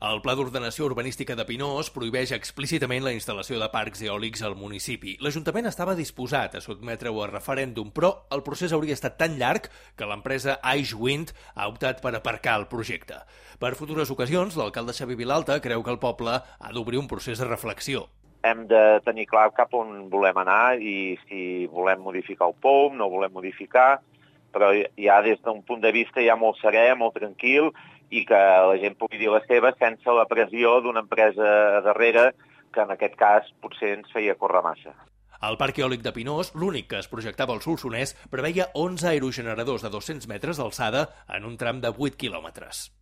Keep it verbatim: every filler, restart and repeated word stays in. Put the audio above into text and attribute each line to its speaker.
Speaker 1: El Pla d'Ordenació Urbanística de Pinós prohibeix explícitament la instal·lació de parcs eòlics al municipi. L'Ajuntament estava disposat a sotmetre-ho a referèndum, però el procés hauria estat tan llarg que l'empresa Icewind ha optat per aparcar el projecte. Per futures ocasions, l'alcalde Xavi Vilalta creu que el poble ha d'obrir un procés de reflexió.
Speaker 2: Hem de tenir clar cap on volem anar i si volem modificar el P O M, no volem modificar, però ja des d'un punt de vista ja molt serè, molt tranquil, i que la gent pugui dir la seva sense la pressió d'una empresa darrere que en aquest cas potser ens feia córrer massa.
Speaker 1: El parc eòlic de Pinós, l'únic que es projectava al Solsonès, preveia onze aerogeneradors de dos-cents metres d'alçada en un tram de vuit quilòmetres.